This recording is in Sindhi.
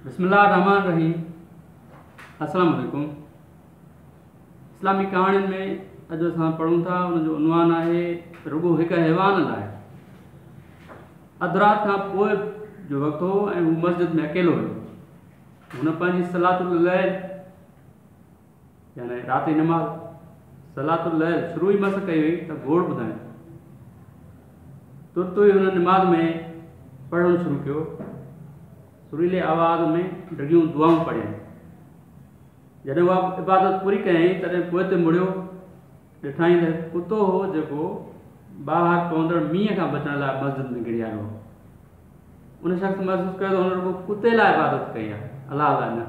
بسم الله الرحمن الرحيم. السلام عليڪم. اسلامي ڪهاڻين ۾ اڄ اسان پڙهون ٿا، ان جو عنوان آهي رڳو هڪ حيوان لاء. اڌ رات کان پوء جو وقت هو ۽ هو مسجد ۾ اڪيلو هيو. هن پنهنجي صلاة الليل، يعني رات جي نماز، صلاة الليل شروع ئي مس ڪئي هئي ته گوڙ ٻڌائين. ترت ئي هن نماز ۾ پڙهڻ شروع ڪيو. سريلي آواز ۾ ڊگهيون دعائون پڙهيائين. جڏهن اها عبادت پوري ڪيائين، تڏهن پوئتي مڙيو. ڏٺائين ته هڪ ڪتو هو، جيڪو ٻاهر پوندڙ مينهن کان بچڻ لاء مسجد ۾ گهڙي آيو هو. ان شخص محسوس ڪيو ته هن رڳو ڪتي لاء عبادت ڪئي آهي، الله لاء نه.